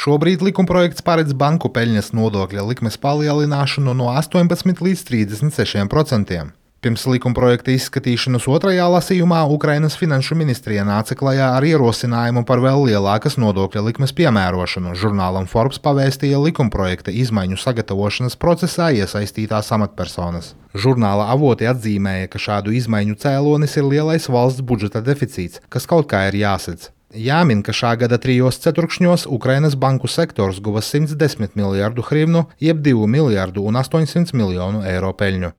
Šobrīd likumprojekts paredz banku peļņas nodokļa likmes palielināšanu no 18 līdz 36%. Pirms likumprojekta izskatīšanas otrajā lasījumā Ukrainas finanšu ministrija nāca klajā ar ierosinājumu par vēl lielākas nodokļa likmes piemērošanu. Žurnālam Forbes pavēstīja likumprojekta izmaiņu sagatavošanas procesā iesaistītās amatpersonas. Žurnāla avoti atzīmēja, ka šādu izmaiņu cēlonis ir lielais valsts budžeta deficīts, kas kaut kā ir jāsedz. Jāmin, ka šā gada 3 ceturkšņos Ukrainas banku sektors guva 110 miljardu hrivnu, jeb 2 miljardu un 800 miljonu eiro peļņu.